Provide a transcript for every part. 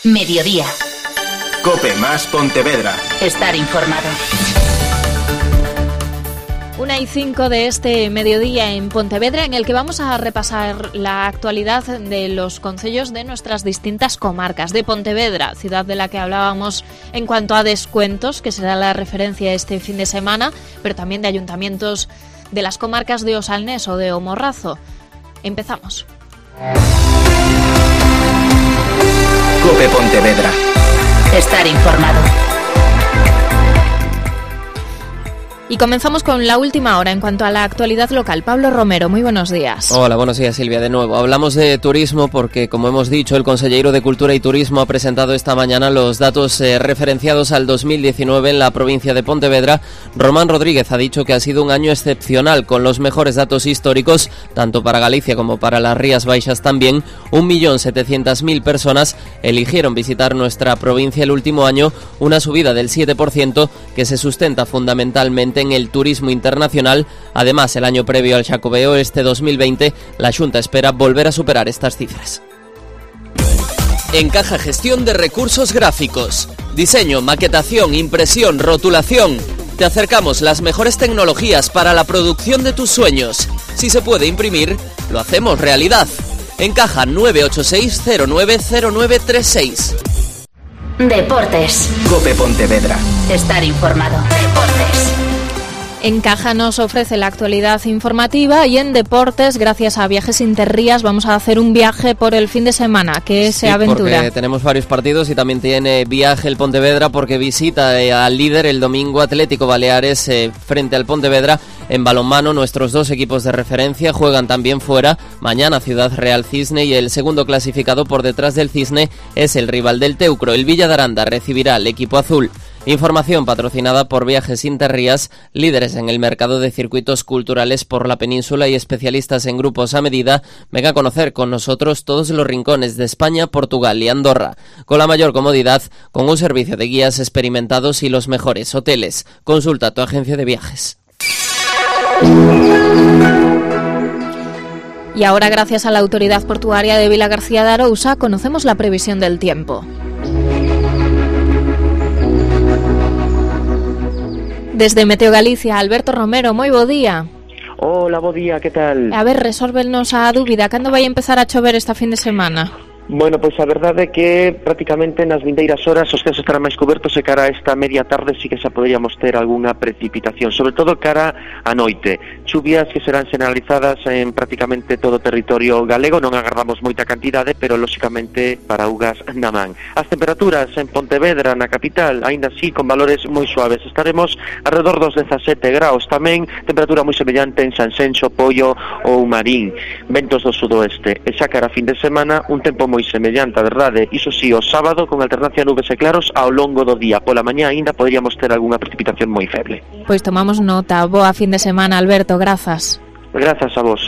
Mediodía. COPE más Pontevedra. Estar informado. 1:05 de este mediodía en Pontevedra, en el que vamos a repasar la actualidad de los concellos de nuestras distintas comarcas. De Pontevedra, ciudad de la que hablábamos en cuanto a descuentos, que será la referencia este fin de semana, pero también de ayuntamientos de las comarcas de Osalnés o de O Morrazo. Empezamos. COPE Pontevedra. Estar informado. Y comenzamos con la última hora en cuanto a la actualidad local. Pablo Romero, muy buenos días. Hola, buenos días, Silvia, de nuevo. Hablamos de turismo porque, como hemos dicho, el consejero de Cultura y Turismo ha presentado esta mañana los datos referenciados al 2019 en la provincia de Pontevedra. Román Rodríguez ha dicho que ha sido un año excepcional, con los mejores datos históricos, tanto para Galicia como para las Rías Baixas también. 1.700.000 personas eligieron visitar nuestra provincia el último año, una subida del 7% que se sustenta fundamentalmente en el turismo internacional. Además, el año previo al Xacobeo, este 2020, la Xunta espera volver a superar estas cifras. Encaja Gestión de Recursos Gráficos. Diseño, maquetación, impresión, rotulación. Te acercamos las mejores tecnologías para la producción de tus sueños. Si se puede imprimir, lo hacemos realidad. Encaja 986-090936. Deportes. COPE Pontevedra. Estar informado. Deportes. Encaja nos ofrece la actualidad informativa y en deportes, gracias a Viajes Interrías, vamos a hacer un viaje por el fin de semana. ¿Qué se aventura? Porque tenemos varios partidos y también tiene viaje el Pontevedra porque visita al líder el domingo, Atlético Baleares, frente al Pontevedra. En balonmano, nuestros dos equipos de referencia juegan también fuera. Mañana Ciudad Real Cisne, y el segundo clasificado por detrás del Cisne es el rival del Teucro. El Villa de Aranda recibirá al equipo azul. Información patrocinada por Viajes Interrías, líderes en el mercado de circuitos culturales por la península y especialistas en grupos a medida. Venga a conocer con nosotros todos los rincones de España, Portugal y Andorra, con la mayor comodidad, con un servicio de guías experimentados y los mejores hoteles. Consulta tu agencia de viajes. Y ahora, gracias a la Autoridad Portuaria de Vilagarcía de Arousa, conocemos la previsión del tiempo. Desde Meteo Galicia, Alberto Romero, moi bo día. Hola, bo día, que tal? A ver, resólvenos a dúbida, cando vai empezar a chover esta fin de semana? Bueno, pois a verdade é que prácticamente nas vindeiras horas os céus estarán máis cobertos e cara a esta media tarde sí que xa poderíamos ter algunha precipitación, sobre todo cara a noite. Chuvias que serán generalizadas en prácticamente todo o territorio galego, non agardamos moita cantidade, pero lóxicamente para augas na man. As temperaturas en Pontevedra, na capital, aínda así con valores moi suaves. Estaremos alrededor dos 17 graus, tamén temperatura moi semellante en Sanxenxo, Poio ou Marín. Ventos do sudoeste. E xa cara a fin de semana, un tempo moi semellante, a verdade, iso sí, o sábado con alternancia nubes e claros ao longo do día. Pola mañá aínda poderíamos ter algunha precipitación moi feble. Pois tomamos nota. Boa fin de semana, Alberto, grazas. Grazas a vos.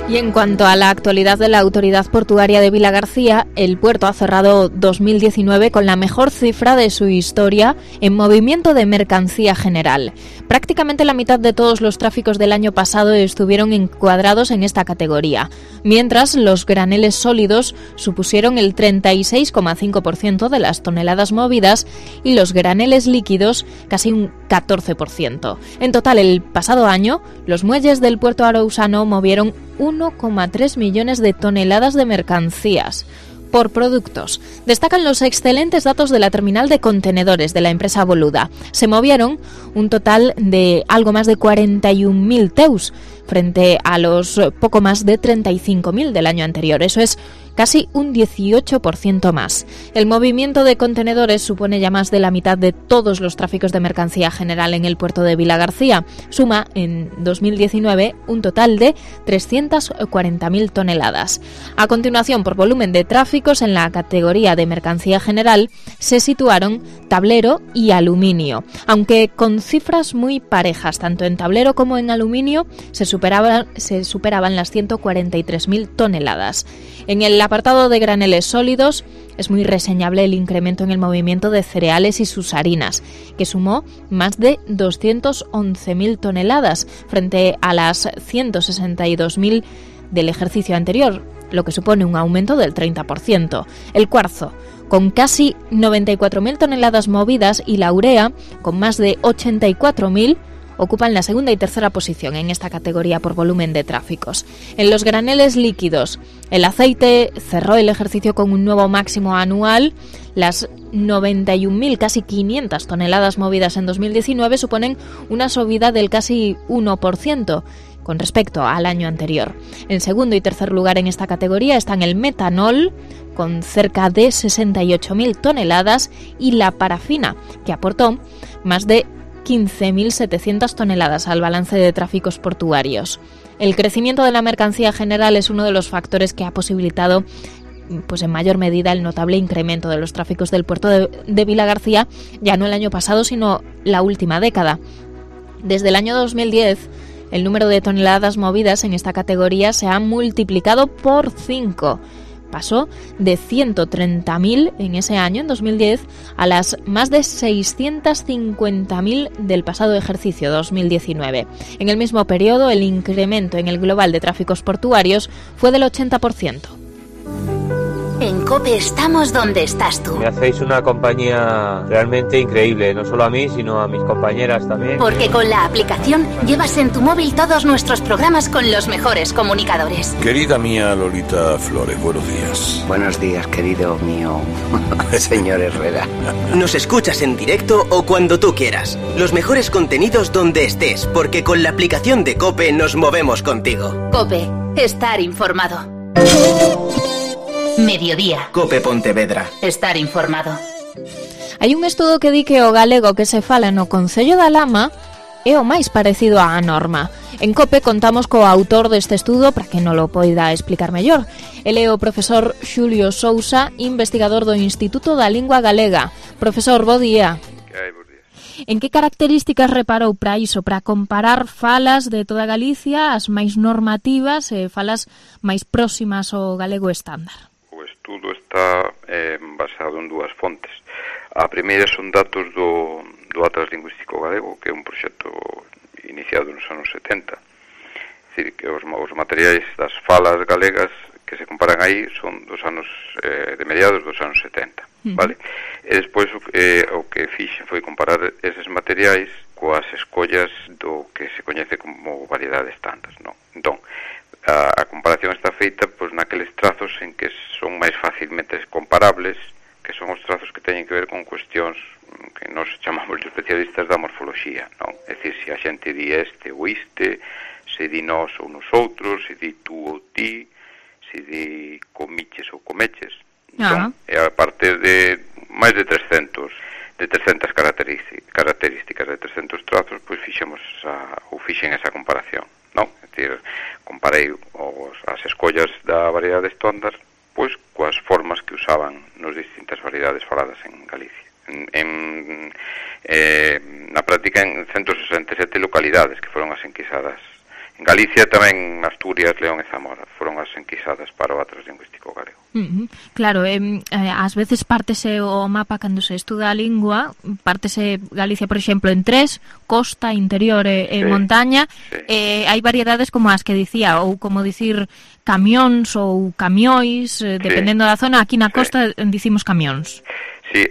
Y en cuanto a la actualidad de la Autoridad Portuaria de Vilagarcía, el puerto ha cerrado 2019 con la mejor cifra de su historia en movimiento de mercancía general. Prácticamente la mitad de todos los tráficos del año pasado estuvieron encuadrados en esta categoría, mientras los graneles sólidos supusieron el 36,5% de las toneladas movidas y los graneles líquidos casi un 14%. En total, el pasado año, los muelles del puerto arousano movieron 1,3 millones de toneladas de mercancías. Por productos, destacan los excelentes datos de la terminal de contenedores de la empresa Boluda. Se movieron un total de algo más de 41.000 TEUs, frente a los poco más de 35.000 del año anterior. Eso es casi un 18% más. El movimiento de contenedores supone ya más de la mitad de todos los tráficos de mercancía general en el puerto de Vilagarcía. Suma en 2019 un total de 340.000 toneladas. A continuación, por volumen de tráficos en la categoría de mercancía general, se situaron tablero y aluminio. Aunque con cifras muy parejas, tanto en tablero como en aluminio, se superaban las 143.000 toneladas. En el apartado de graneles sólidos, es muy reseñable el incremento en el movimiento de cereales y sus harinas, que sumó más de 211.000 toneladas frente a las 162.000 del ejercicio anterior, lo que supone un aumento del 30%. El cuarzo, con casi 94.000 toneladas movidas, y la urea, con más de 84.000, ocupan la segunda y tercera posición en esta categoría por volumen de tráficos. En los graneles líquidos, el aceite cerró el ejercicio con un nuevo máximo anual. Las 91.000, casi 500 toneladas movidas en 2019 suponen una subida del casi 1% con respecto al año anterior. En segundo y tercer lugar en esta categoría están el metanol, con cerca de 68.000 toneladas, y la parafina, que aportó más de 15.700 toneladas al balance de tráficos portuarios. El crecimiento de la mercancía general es uno de los factores que ha posibilitado, pues en mayor medida, el notable incremento de los tráficos del puerto de Vilagarcía, ya no el año pasado, sino la última década. Desde el año 2010, el número de toneladas movidas en esta categoría se ha multiplicado por 5. Pasó de 130.000 en ese año, en 2010, a las más de 650.000 del pasado ejercicio 2019. En el mismo periodo, el incremento en el global de tráficos portuarios fue del 80%. En COPE estamos donde estás tú. Me hacéis una compañía realmente increíble, no solo a mí, sino a mis compañeras también. Porque con la aplicación llevas en tu móvil todos nuestros programas con los mejores comunicadores. Querida mía Lolita Flores, buenos días. Buenos días, querido mío, señor Herrera. Nos escuchas en directo o cuando tú quieras. Los mejores contenidos donde estés, porque con la aplicación de COPE nos movemos contigo. COPE, estar informado. Mediodía. Cope Pontevedra. Estar informado. Hai un estudo que di que o galego que se fala no Concello da Lama é o máis parecido á norma. En COPE contamos co autor deste estudo para que non lo poida explicar mellor. Ele é o profesor Xulio Sousa, investigador do Instituto da Lingua Galega. Profesor, bo día. En que características reparou para iso, para comparar falas de toda Galicia, as máis normativas e falas máis próximas ao galego estándar? O estudo está basado en dúas fontes. A primeira son datos do Atlas Lingüístico Galego, que é un proxecto iniciado nos anos 70. É dicir, que os materiais das falas galegas que se comparan aí son dos anos de mediados dos anos 70, vale? E despois o que fixen foi comparar eses materiais coas escollas do que se coñece como variedade estándar, non? Entón, a comparación está feita pois naqueles trazos en que son máis facilmente comparables, que son os trazos que teñen que ver con cuestións que nós chamamos de especialistas da morfoloxía, non? É dicir, se a xente di este ou iste, se di nós ou nosotros, se di tú ou ti, se di comiches ou comeches. Entón, e a partir de máis de 300 características, de 300 trazos, pois fixen esa comparación, non? É dicir, comparei as escollas da variedade estándar pois coas formas que usaban nas distintas variedades faladas en Galicia. Na práctica, en 167 localidades que foron as enquisadas. En Galicia tamén, Asturias, León e Zamora foron as enquisadas para o Atlas Lingüístico Galego. Claro, ás veces pártese o mapa cando se estuda a lingua, pártese Galicia, por exemplo, en tres: costa, interior e montaña. Hai variedades como as que dicía, ou como dicir camións ou camiois, dependendo da zona. Aquí na costa dicimos camións. Sí,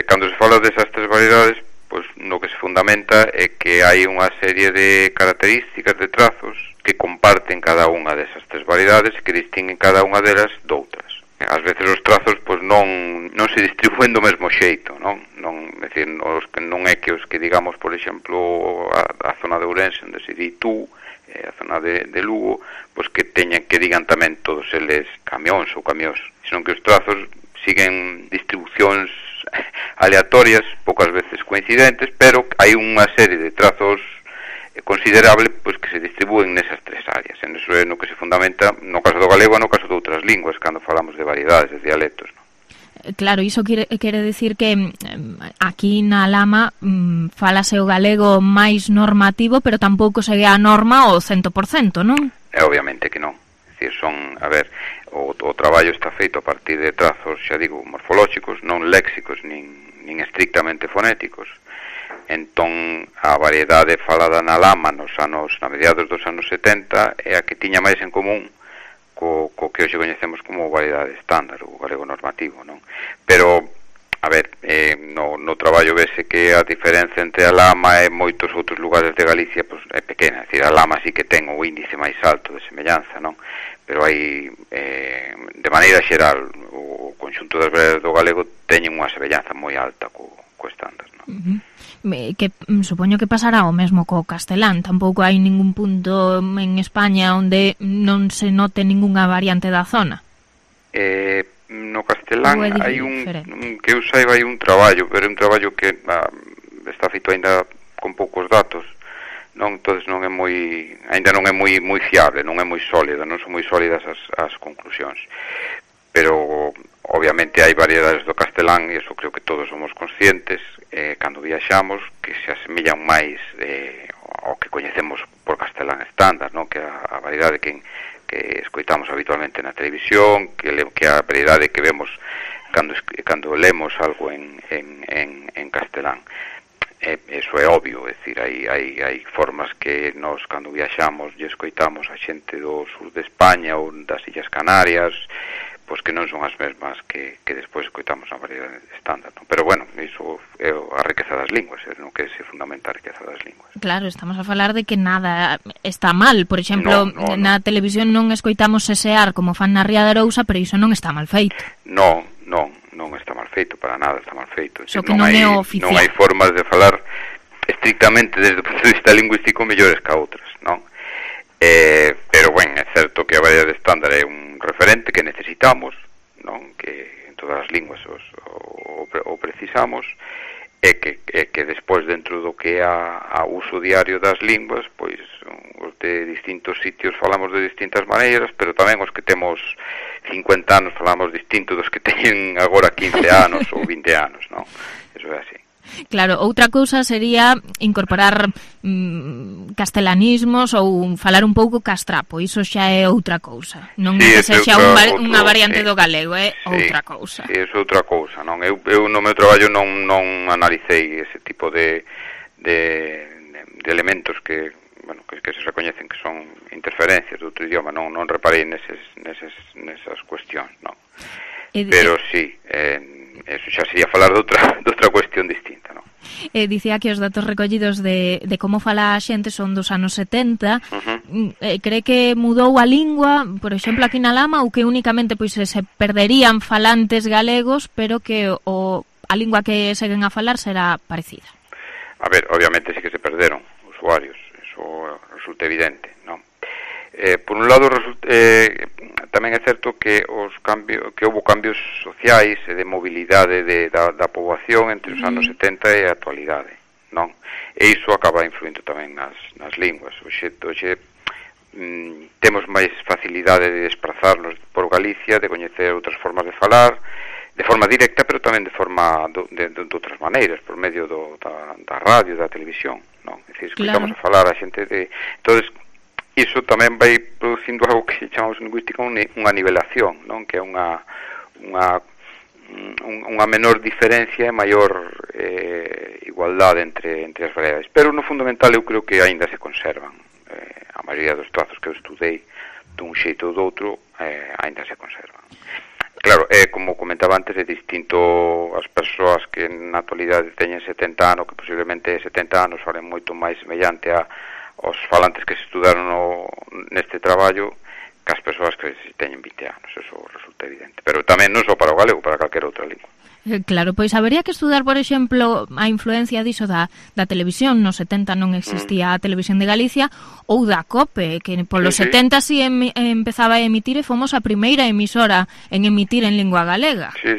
cando se fala desas tres variedades, pois no que se fundamenta é que hai unha serie de características, de trazos que comparten cada unha desas tres variedades e que distinguen cada unha delas doutras. Ás veces os trazos pois non se distribúen do mesmo xeito, non? É dicir, non é que os que digamos, por exemplo, a zona de Ourense, onde se di tú, a zona de Lugo, pois que teñan que digan tamén todos eles camións ou camións, senón que os trazos siguen distribucións aleatorias, poucas veces coincidentes, pero hai unha serie de trazos considerable pois que se distribúen nesas tres áreas. En eso é no que se fundamenta no caso do galego e no caso de outras linguas cando falamos de variedades, de dialectos, non? Claro, iso quere decir que aquí na Lama falase o galego máis normativo, pero tampouco segue a norma ao 100%, non? Obviamente que non. É dicir, o traballo está feito a partir de trazos, xa digo, morfolóxicos, non léxicos nin estrictamente fonéticos. Entón, a variedade falada na Lama na mediados dos anos 70 é a que tiña máis en común que hoxe coñecemos como variedade estándar, o galego normativo, non? Pero, a ver, no traballo vese que a diferencia entre a Lama e moitos outros lugares de Galicia pois, é pequena, é dicir, a Lama sí que ten o índice máis alto de semellanza, non? Pero hai, de maneira xeral, o conxunto das variedades do galego teñen unha semellanza moi alta co estándar, non? Que supoño que pasará o mesmo co castelán. Tampouco hai ningún punto en España onde non se note ningunha variante da zona. No castelán hai que eu saiba hai un traballo, pero é un traballo que está feito aínda con poucos datos, non, entonces non é aínda non é moi fiable, non é moi sólida, non son moi sólidas as conclusións. Pero obviamente hai variedades do castelán e iso creo que todos somos conscientes cando viaxamos que se asemillan máis ao que coñecemos por castelán estándar, non? Que a variedade que escoitamos habitualmente na televisión, que a variedade que vemos cando lemos algo en castelán. Eso é obvio, é dicir, hai formas que nós cando viaxamos e escoitamos a xente do sur de España ou das Illas Canarias, pois que non son as mesmas que despois escoitamos na variedade estándar, non? Pero bueno, iso é a riqueza das linguas, é no que se fundamenta a riqueza das linguas. Claro, estamos a falar de que nada está mal, por exemplo, na televisión non escoitamos sesear como fan na Ría de Arousa, pero iso non está mal feito. Non está mal feito, para nada está mal feito. Só que non é oficial. Non hai formas de falar estrictamente desde o punto de vista lingüístico mellores que outras, non? Pero, bueno, é certo que a variedade estándar é un referente que necesitamos, non? Que en todas as linguas o precisamos, e que despois dentro do que é a uso diario das linguas, pois os de distintos sitios falamos de distintas maneiras, pero tamén os que temos 50 anos falamos distinto dos que teñen agora 15 anos ou 20 anos, non? Eso é así. Claro, outra cousa sería incorporar castelanismos ou falar un pouco castrapo, iso xa é outra cousa. Non é que sexa unha variante do galego, é outra cousa. Sí, é outra cousa, non? Eu no meu traballo non analicei ese tipo de elementos que se recoñecen que son interferencias de outro idioma, non reparei nesas cuestións, non? Pero sí, eso xa sería falar de outra cuestión distinta, non? Dicía que os datos recollidos de como fala a xente son dos anos 70. Cree que mudou a lingua, por exemplo, aquí na Lama, ou que únicamente pois se perderían falantes galegos, pero que a lingua que seguen a falar será parecida? A ver, obviamente sí que se perderon usuarios, eso resulta evidente, non? Por un lado, tamén é certo que houve cambios sociais e de mobilidade da poboación entre os anos 70 e a actualidade, non? E iso acaba influindo tamén nas linguas. Hoxe temos máis facilidade de desplazarnos por Galicia, de coñecer outras formas de falar, de forma directa, pero tamén de forma de outras maneiras, por medio da radio, da televisión, non? É dicir, escoitamos a falar a xente de... Entonces, iso tamén vai producindo algo que chamamos en lingüística unha nivelación, non? Que é unha menor diferencia e maior igualdade entre as variedades. Pero no fundamental eu creo que aínda se conservan. A maioría dos trazos que eu estudei dun xeito ou do outro aínda se conservan. Claro, como comentaba antes, é distinto as persoas que na actualidade teñen 70 anos, que posiblemente 70 anos falen moito máis semellante aos falantes que se estudaron neste traballo que as persoas que teñen 20 anos, eso resulta evidente. Pero tamén non só para o galego, para calquera outra lingua. Claro, pois habería que estudar, por exemplo, a influencia diso da televisión. Nos 70 non existía a Televisión de Galicia, ou da COPE, que polos 70 si empezaba a emitir e fomos a primeira emisora en emitir en lingua galega. Sí.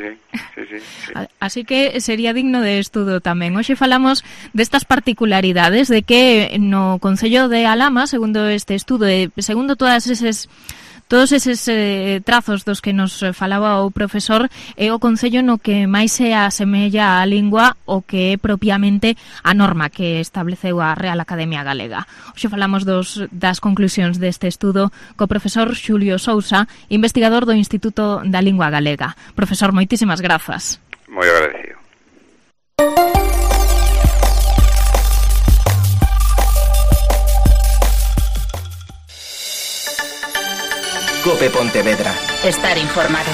Así que sería digno de estudo tamén. Hoxe falamos destas particularidades de que no Concello de Alhama, segundo este estudo e segundo todos eses trazos dos que nos falaba o profesor, é o concello no que máis se asemella á lingua o que é propiamente a norma que estableceu a Real Academia Galega. Hoxe falamos das conclusións deste estudo co profesor Xulio Sousa, investigador do Instituto da Lingua Galega. Profesor, moitísimas grazas. Moi agradecido. COPE Pontevedra. Estar informado.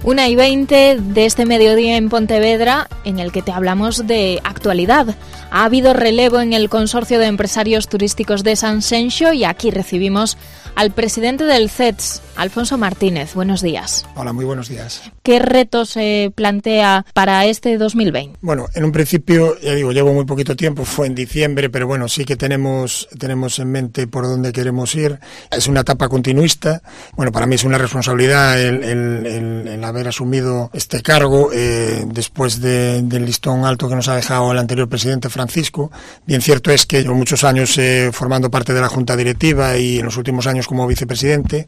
1:20 de este mediodía en Pontevedra, en el que te hablamos de actualidad. Ha habido relevo en el Consorcio de Empresarios Turísticos de Sanxenxo y aquí recibimos al presidente del CETS, Alfonso Martínez. Buenos días. Hola, muy buenos días. ¿Qué retos se plantea para este 2020? Bueno, en un principio, ya digo, llevo muy poquito tiempo, fue en diciembre, pero bueno, sí que tenemos en mente por dónde queremos ir. Es una etapa continuista. Bueno, para mí es una responsabilidad el haber asumido este cargo después del listón alto que nos ha dejado el anterior presidente Francisco. Bien cierto es que llevo muchos años formando parte de la Junta Directiva y en los últimos años como vicepresidente,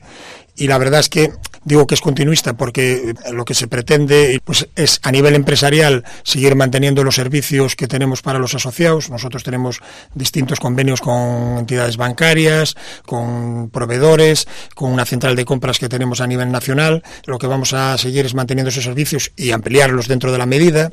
y la verdad es que digo que es continuista porque lo que se pretende pues es a nivel empresarial seguir manteniendo los servicios que tenemos para los asociados. Nosotros tenemos distintos convenios con entidades bancarias, con proveedores, con una central de compras que tenemos a nivel nacional. Lo que vamos a seguir es manteniendo esos servicios y ampliarlos dentro de la medida.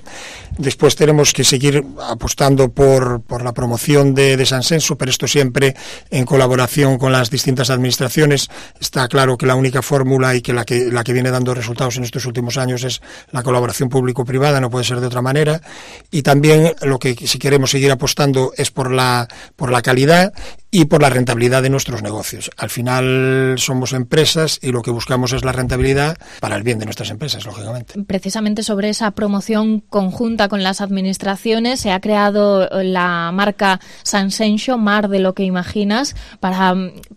Después tenemos que seguir apostando por la promoción de Sanxenxo, pero esto siempre en colaboración con las distintas administraciones. Está claro que la única fórmula y que la que viene dando resultados en estos últimos años es la colaboración público-privada, no puede ser de otra manera. Y también lo que si queremos seguir apostando es por la calidad y por la rentabilidad de nuestros negocios. Al final somos empresas y lo que buscamos es la rentabilidad para el bien de nuestras empresas, lógicamente. Precisamente sobre esa promoción conjunta con las administraciones se ha creado la marca Sanxenxo, Mar de lo que imaginas, para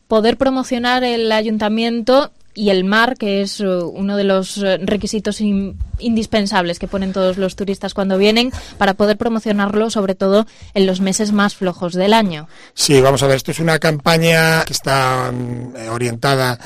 poder promocionar el ayuntamiento y el mar, que es uno de los requisitos indispensables que ponen todos los turistas cuando vienen, para poder promocionarlo sobre todo en los meses más flojos del año. Sí, vamos a ver, esto es una campaña que está orientada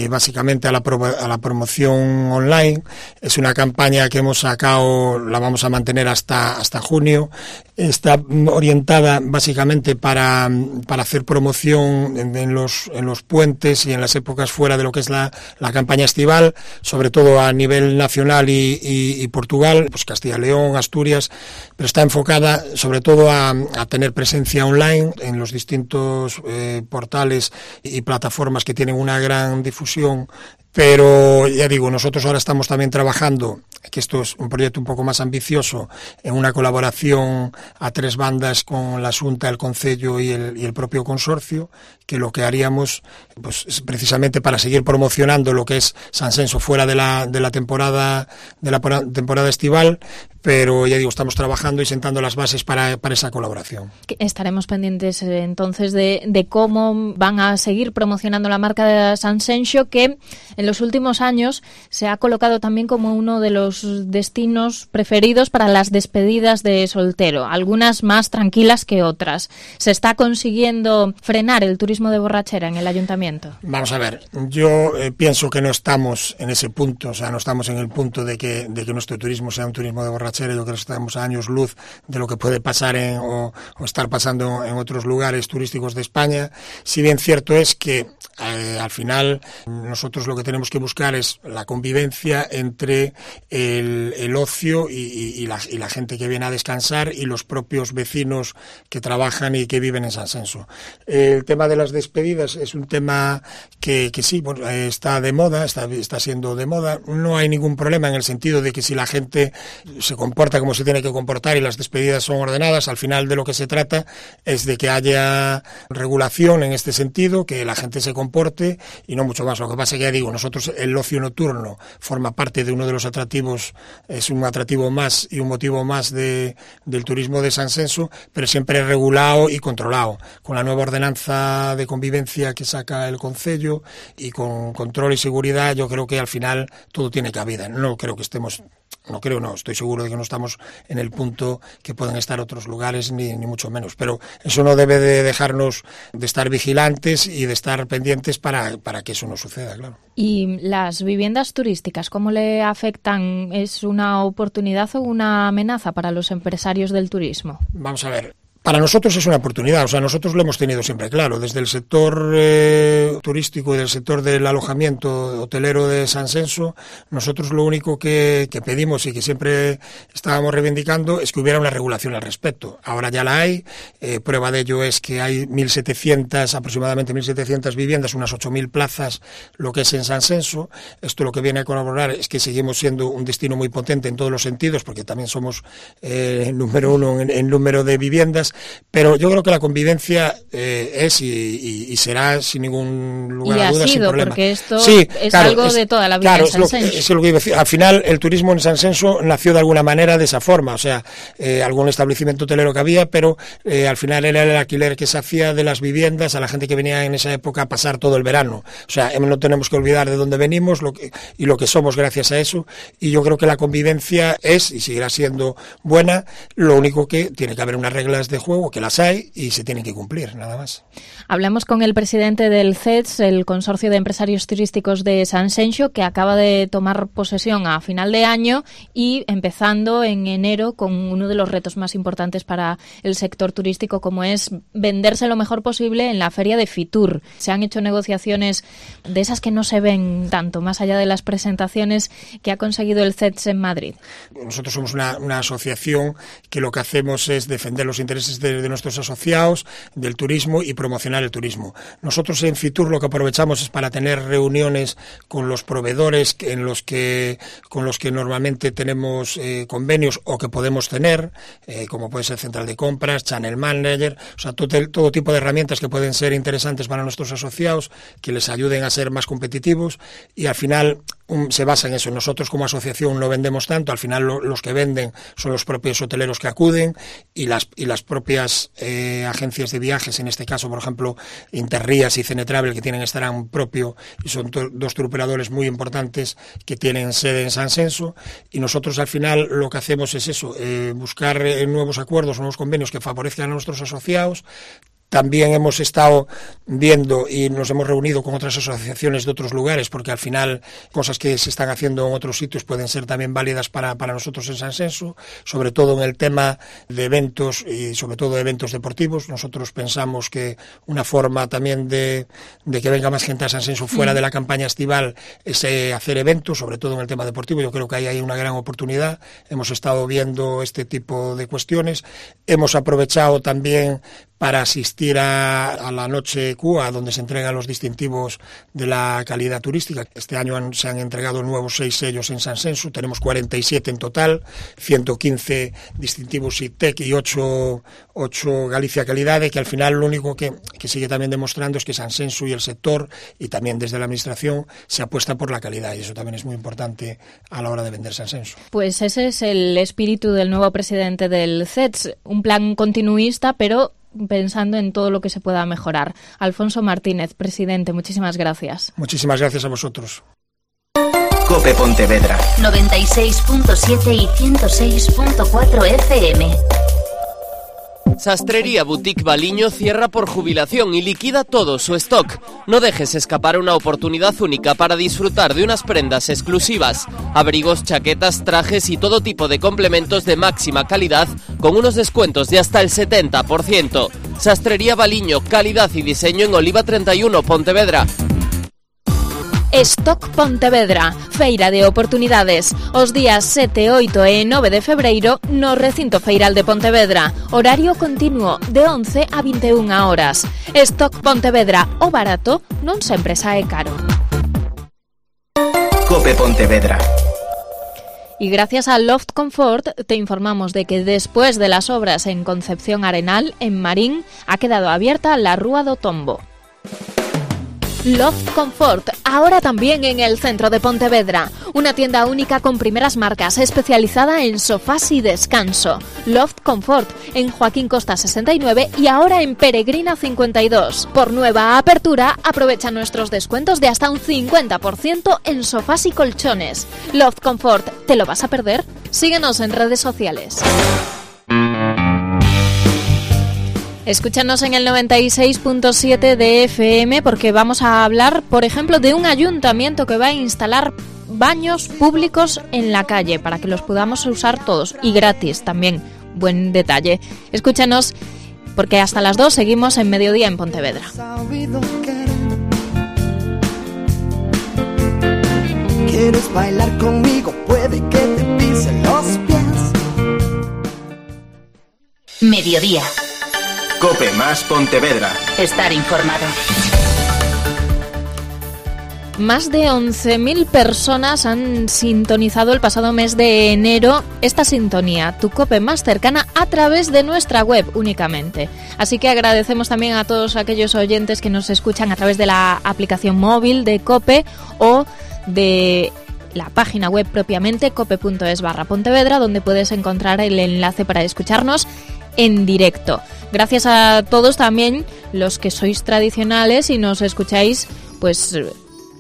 básicamente a la promoción online. Es una campaña que hemos sacado, la vamos a mantener hasta junio. Está orientada básicamente para hacer promoción en los puentes y en las épocas fuera de lo que es la campaña estival, sobre todo a nivel nacional y Portugal, pues Castilla y León, Asturias, pero está enfocada sobre todo a tener presencia online en los distintos portales y plataformas que tienen una gran difusión. Pero ya digo, nosotros ahora estamos también trabajando, que esto es un proyecto un poco más ambicioso, en una colaboración a 3 bandas con la Xunta, el Concello y el propio consorcio, que lo que haríamos pues es precisamente para seguir promocionando lo que es Sanxenxo fuera de la temporada estival, pero ya digo, estamos trabajando y sentando las bases para esa colaboración. Estaremos pendientes entonces de cómo van a seguir promocionando la marca de Sanxenxo, que en los últimos años se ha colocado también como uno de los destinos preferidos para las despedidas de soltero, algunas más tranquilas que otras. ¿Se está consiguiendo frenar el turismo de borrachera en el ayuntamiento? Vamos a ver, yo pienso que no estamos en ese punto, o sea, no estamos en el punto de que nuestro turismo sea un turismo de borrachera. Yo creo que estamos a años luz de lo que puede pasar o estar pasando en otros lugares turísticos de España. Si bien cierto es que al final nosotros lo que tenemos que buscar es la convivencia entre el ocio y la gente que viene a descansar y los propios vecinos que trabajan y que viven en Sanxenxo. El tema de las despedidas es un tema que sí, bueno, está de moda, está siendo de moda. No hay ningún problema en el sentido de que si la gente se comporta como se tiene que comportar y las despedidas son ordenadas, al final de lo que se trata es de que haya regulación en este sentido, que la gente se comporte y no mucho más. Lo que pasa es que ya digo, nosotros el ocio nocturno forma parte de uno de los atractivos, es un atractivo más y un motivo más del turismo de Sanxenxo, pero siempre regulado y controlado, con la nueva ordenanza de convivencia que saca el Concello y con control y seguridad. Yo creo que al final todo tiene cabida. Estoy seguro de que no estamos en el punto que pueden estar otros lugares, ni mucho menos, pero eso no debe de dejarnos de estar vigilantes y de estar pendientes para que eso no suceda, claro. ¿Y las viviendas turísticas, cómo le afectan? ¿Es una oportunidad o una amenaza para los empresarios del turismo? Vamos a ver. Para nosotros es una oportunidad, o sea, nosotros lo hemos tenido siempre claro, desde el sector turístico y del sector del alojamiento hotelero de San Senso, nosotros lo único que pedimos y que siempre estábamos reivindicando es que hubiera una regulación al respecto. Ahora ya la hay, prueba de ello es que hay aproximadamente 1.700 viviendas, unas 8.000 plazas, lo que es en San Senso. Esto lo que viene a colaborar es que seguimos siendo un destino muy potente en todos los sentidos, porque también somos número uno en número de viviendas. Pero yo creo que la convivencia es y será sin ningún lugar a dudas, sin problema. Porque esto es algo de toda la vida en San Senso. Es lo que iba a decir. Al final, el turismo en San Senso nació de alguna manera de esa forma, o sea, algún establecimiento hotelero que había, pero al final era el alquiler que se hacía de las viviendas a la gente que venía en esa época a pasar todo el verano. O sea, no tenemos que olvidar de dónde venimos y lo que somos gracias a eso, y yo creo que la convivencia es y seguirá siendo buena. Lo único que tiene que haber unas reglas de juego, que las hay y se tienen que cumplir, nada más. Hablamos con el presidente del CETS, el Consorcio de Empresarios Turísticos de San Senso, que acaba de tomar posesión a final de año y empezando en enero con uno de los retos más importantes para el sector turístico, como es venderse lo mejor posible en la feria de Fitur. Se han hecho negociaciones de esas que no se ven tanto, más allá de las presentaciones que ha conseguido el CETS en Madrid. Nosotros somos una asociación que lo que hacemos es defender los intereses de nuestros asociados, del turismo y promocionar el turismo. Nosotros en Fitur lo que aprovechamos es para tener reuniones con los proveedores con los que normalmente tenemos convenios o que podemos tener, como puede ser central de compras, channel manager, o sea, todo tipo de herramientas que pueden ser interesantes para nuestros asociados, que les ayuden a ser más competitivos, y al final se basa en eso. Nosotros como asociación no vendemos tanto, al final los que venden son los propios hoteleros que acuden y las propias agencias de viajes, en este caso, por ejemplo, Interrías y Cenetravel, que tienen Estaran propio y son dos turoperadores muy importantes que tienen sede en San Senso, y nosotros al final lo que hacemos es eso, buscar nuevos acuerdos, nuevos convenios que favorezcan a nuestros asociados. También hemos estado viendo y nos hemos reunido con otras asociaciones de otros lugares, porque al final cosas que se están haciendo en otros sitios pueden ser también válidas para nosotros en San Senso, sobre todo en el tema de eventos y sobre todo de eventos deportivos. Nosotros pensamos que una forma también de que venga más gente a San Senso fuera de la campaña estival es hacer eventos, sobre todo en el tema deportivo. Yo creo que ahí hay una gran oportunidad. Hemos estado viendo este tipo de cuestiones. Hemos aprovechado también para asistir a la Noche CUA, donde se entregan los distintivos de la calidad turística. Este año se han entregado nuevos 6 sellos en San Senso, tenemos 47 en total, 115 distintivos ITEC y 8 Galicia Calidad, que al final lo único que sigue también demostrando es que San Senso y el sector, y también desde la Administración, se apuesta por la calidad, y eso también es muy importante a la hora de vender San Senso. Pues ese es el espíritu del nuevo presidente del CETS, un plan continuista, pero pensando en todo lo que se pueda mejorar. Alfonso Martínez, presidente, muchísimas gracias. Muchísimas gracias a vosotros. COPE Pontevedra 96.7 y 106.4 FM. Sastrería Boutique Baliño cierra por jubilación y liquida todo su stock. No dejes escapar una oportunidad única para disfrutar de unas prendas exclusivas, abrigos, chaquetas, trajes y todo tipo de complementos de máxima calidad con unos descuentos de hasta el 70%. Sastrería Baliño, calidad y diseño en Oliva 31, Pontevedra. Stock Pontevedra, feira de oportunidades, os días 7, 8 e 9 de febreiro no recinto feiral de Pontevedra, horario continuo de 11 a 21 horas. Stock Pontevedra, o barato non sempre sae caro. COPE Pontevedra. Y gracias a Loft Comfort te informamos de que después de las obras en Concepción Arenal, en Marín, ha quedado abierta la Rúa do Tombo. Loft Comfort, ahora también en el centro de Pontevedra. Una tienda única con primeras marcas, especializada en sofás y descanso. Loft Comfort, en Joaquín Costa 69 y ahora en Peregrina 52. Por nueva apertura, aprovecha nuestros descuentos de hasta un 50% en sofás y colchones. Loft Comfort, ¿te lo vas a perder? Síguenos en redes sociales. Escúchanos en el 96.7 de FM porque vamos a hablar, por ejemplo, de un ayuntamiento que va a instalar baños públicos en la calle para que los podamos usar todos y gratis también. Buen detalle. Escúchanos porque hasta las 2 seguimos en Mediodía en Pontevedra. ¿Quieres bailar conmigo? Puede que te pisen los pies. Mediodía. Cope más Pontevedra. Estar informado. Más de 11.000 personas han sintonizado el pasado mes de enero esta sintonía, tu COPE más cercana, a través de nuestra web únicamente. Así que agradecemos también a todos aquellos oyentes que nos escuchan a través de la aplicación móvil de COPE o de la página web propiamente, cope.es/Pontevedra, donde puedes encontrar el enlace para escucharnos en directo. Gracias a todos también los que sois tradicionales y nos escucháis pues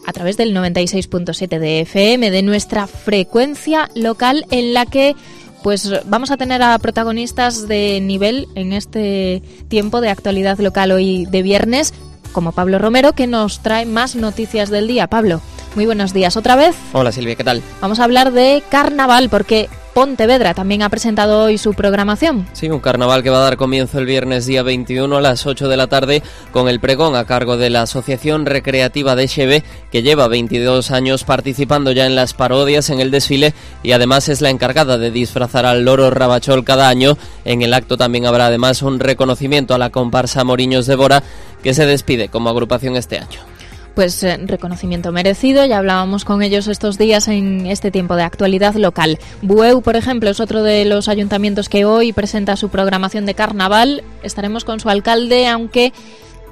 a través del 96.7 de FM, de nuestra frecuencia local, en la que pues vamos a tener a protagonistas de nivel en este tiempo de actualidad local hoy de viernes, como Pablo Romero, que nos trae más noticias del día. Pablo, muy buenos días otra vez. Hola Silvia, ¿qué tal? Vamos a hablar de carnaval, porque Pontevedra también ha presentado hoy su programación. Sí, un carnaval que va a dar comienzo el viernes día 21 a las 8 de la tarde con el pregón a cargo de la Asociación Recreativa de Xeve, que lleva 22 años participando ya en las parodias, en el desfile, y además es la encargada de disfrazar al loro Rabachol cada año. En el acto también habrá además un reconocimiento a la comparsa Moriños de Bora, que se despide como agrupación este año. Pues reconocimiento merecido, ya hablábamos con ellos estos días en este tiempo de actualidad local. Bueu, por ejemplo, es otro de los ayuntamientos que hoy presenta su programación de carnaval. Estaremos con su alcalde, aunque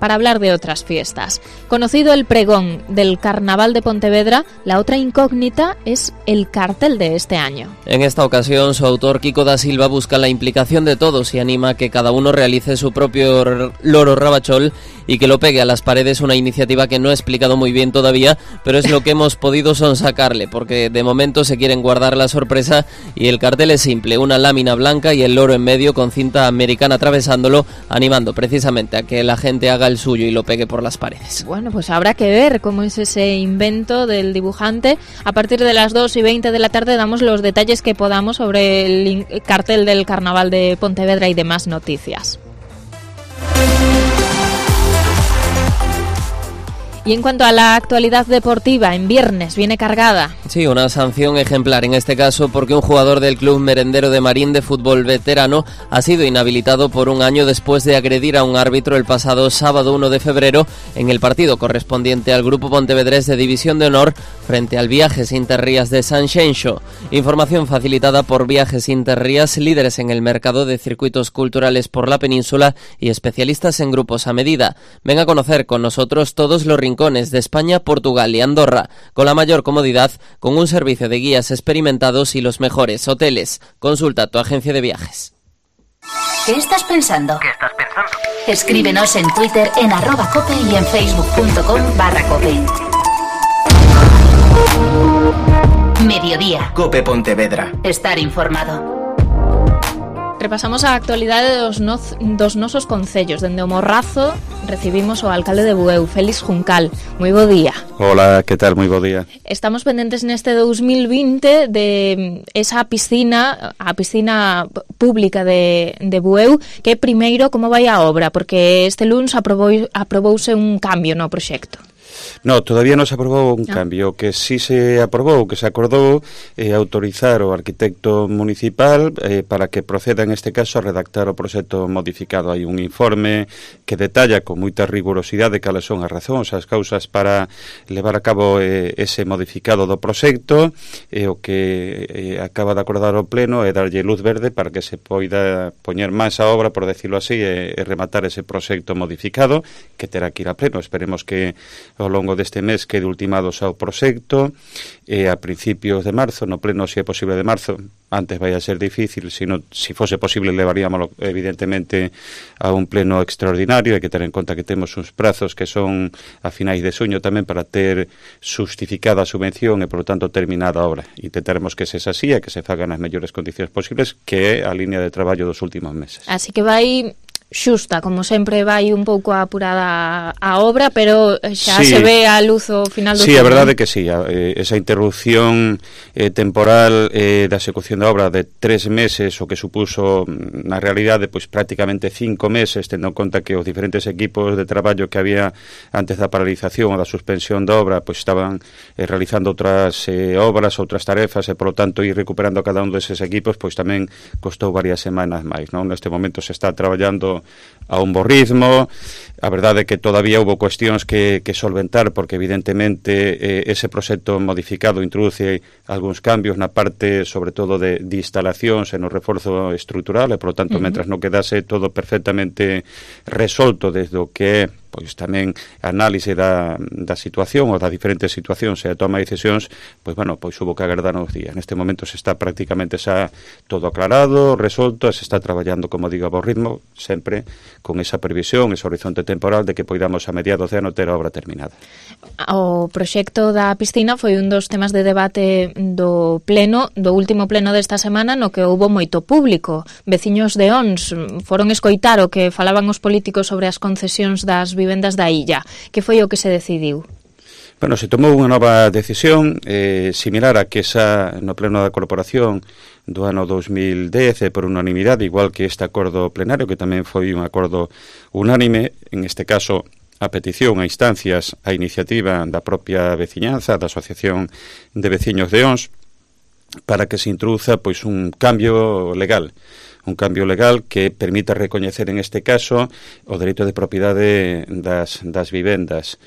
para hablar de otras fiestas. Conocido el pregón del Carnaval de Pontevedra, la otra incógnita es el cartel de este año. En esta ocasión, su autor, Kiko da Silva, busca la implicación de todos y anima a que cada uno realice su propio loro Rabachol y que lo pegue a las paredes, una iniciativa que no he explicado muy bien todavía, pero es lo que hemos podido sonsacarle, porque de momento se quieren guardar la sorpresa y el cartel es simple, una lámina blanca y el loro en medio con cinta americana atravesándolo, animando precisamente a que la gente haga el suyo y lo pegue por las paredes. Bueno, pues habrá que ver cómo es ese invento del dibujante. A partir de las 2:20 de la tarde damos los detalles que podamos sobre el cartel del Carnaval de Pontevedra y demás noticias. Y en cuanto a la actualidad deportiva, en viernes viene cargada. Sí, una sanción ejemplar en este caso porque un jugador del Club Merendero de Marín de fútbol veterano ha sido inhabilitado por un año después de agredir a un árbitro el pasado sábado 1 de febrero en el partido correspondiente al Grupo Pontevedrés de División de Honor frente al Viajes Interrías de San Xenxo. Información facilitada por Viajes Interrías, líderes en el mercado de circuitos culturales por la península y especialistas en grupos a medida. Ven a conocer con nosotros todos los rincones de España, Portugal y Andorra, con la mayor comodidad, con un servicio de guías experimentados y los mejores hoteles. Consulta tu agencia de viajes. ¿Qué estás pensando? Escríbenos en Twitter en @cope y en facebook.com/cope. Mediodía. Cope Pontevedra. Estar informado. Repasamos a actualidade dos nosos concellos. Dende o Morrazo recibimos o alcalde de Bueu, Félix Juncal. Moi bo día. Hola, que tal? Moi bo día. Estamos pendentes neste 2020 de esa piscina, a piscina pública de Bueu, que primeiro como vai a obra, porque este luns aprobouse un cambio no proxecto. No, todavía non se aprobou un cambio. O que sí se aprobou, que se acordou autorizar o arquitecto municipal para que proceda en este caso a redactar o proxecto modificado. Hai un informe que detalla con moita rigurosidade cales son as razóns, as causas para levar a cabo ese modificado do proxecto, o que acaba de acordar o pleno é darlle luz verde para que se poida poñer máis a obra, por decirlo así, e rematar ese proxecto modificado que terá que ir a pleno. Esperemos que ao longo deste mes quede ultimado xa o proxecto a principios de marzo, no pleno se é posible de marzo. Antes vai a ser difícil, si fose posible levaríamoslo evidentemente a un pleno extraordinario. Hai que ter en conta que temos uns prazos que son a finais de xuño tamén para ter justificada a subvención e, por lo tanto, terminada a obra. Intentaremos que se así e que se fagan as mellores condicións posibles, que é a línea de traballo dos últimos meses. Así que vai xusta, como sempre vai un pouco apurada a obra, pero xa se ve a luz ao final do Sí, a verdade é que sí, esa interrupción temporal da execución da obra de 3 meses, o que supuso na realidade pois prácticamente 5 meses, tendo en conta que os diferentes equipos de traballo que había antes da paralización ou da suspensión da obra pois estaban realizando outras obras, outras tarefas, e polo tanto ir recuperando cada un deses equipos pois tamén costou varias semanas máis, non? Neste momento se está traballando a un bo ritmo. A verdade é que todavía houve cuestións que solventar, porque evidentemente ese proxecto modificado introduce algúns cambios na parte, sobre todo, de instalacións e no reforzo estrutural, e, polo tanto, mentras non quedase todo perfectamente resolto desde o que é pois tamén análise da situación ou das diferentes situacións e a toma de decisións, pois bueno, pois hubo que agardar uns días. Neste momento se está prácticamente xa todo aclarado, resolto, e se está traballando, como digo, a bo ritmo, sempre con esa previsión, ese horizonte temporal de que poidamos a mediados de ano ter a obra terminada. O proxecto da piscina foi un dos temas de debate do último pleno desta semana, no que houbo moito público. Veciños de Ons foron escoitar o que falaban os políticos sobre as concesións das vivendas da illa. Que foi o que se decidiu? Bueno, se tomou unha nova decisión similar a que esa no pleno da corporación do ano 2010 por unanimidade, igual que este acordo plenario, que tamén foi un acordo unánime, en este caso a petición, a instancias, a iniciativa da propia veciñanza, da Asociación de Veciños de Ons, para que se introduza pois un cambio legal que permita recoñecer en este caso o dereito de propiedade das vivendas.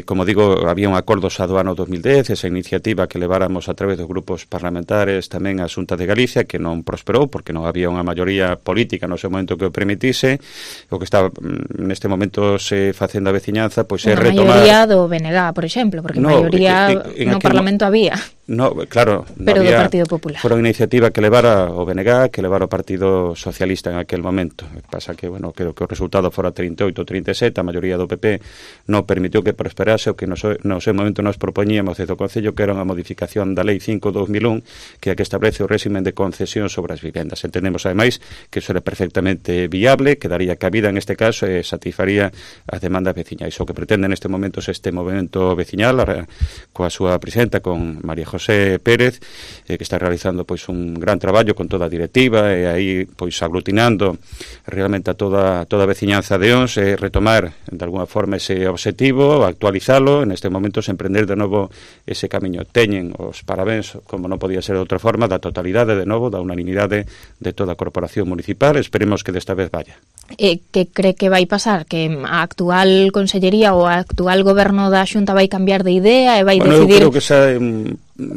Como digo, había un acordo xa do ano 2010, esa iniciativa que leváramos a través dos grupos parlamentares tamén a Xunta de Galicia, que non prosperou porque non había unha maioría política no seu momento que o permitise. O que está neste momento se facendo a veciñanza pois é retomar... Unha maioría do BNG, por exemplo, porque maioría no Parlamento había. No, claro, pero do Partido Popular. Foi unha iniciativa que levara o BNG, que levara o Partido Socialista en aquel momento. Pasa que, bueno, creo que o resultado fora 38 ou 37, a maioría do PP non permitiu que prosperase o que no seu momento nos propoñíamos desde o Concello, que era unha modificación da Lei 5/2001, que é a que establece o réximen de concesión sobre as vivendas. Entendemos, ademais, que iso era perfectamente viable, que daría cabida en este caso e satisfaría as demandas veciñais. O que pretende neste momento este movimento veciñal, coa súa presidenta, con María José Pérez, que está realizando pois un gran traballo con toda a directiva e aí pois aglutinando realmente a toda a veciñanza de Ons, retomar de alguna forma ese obxectivo, actualizalo, en este momento se emprender de novo ese camiño. Teñen os parabéns, como non podía ser de outra forma, da totalidade de novo, da unanimidade de toda a corporación municipal. Esperemos que desta vez vaya. Que cree que vai pasar? Que a actual consellería ou a actual goberno da Xunta vai cambiar de idea e vai decidir... Eu creo que xa...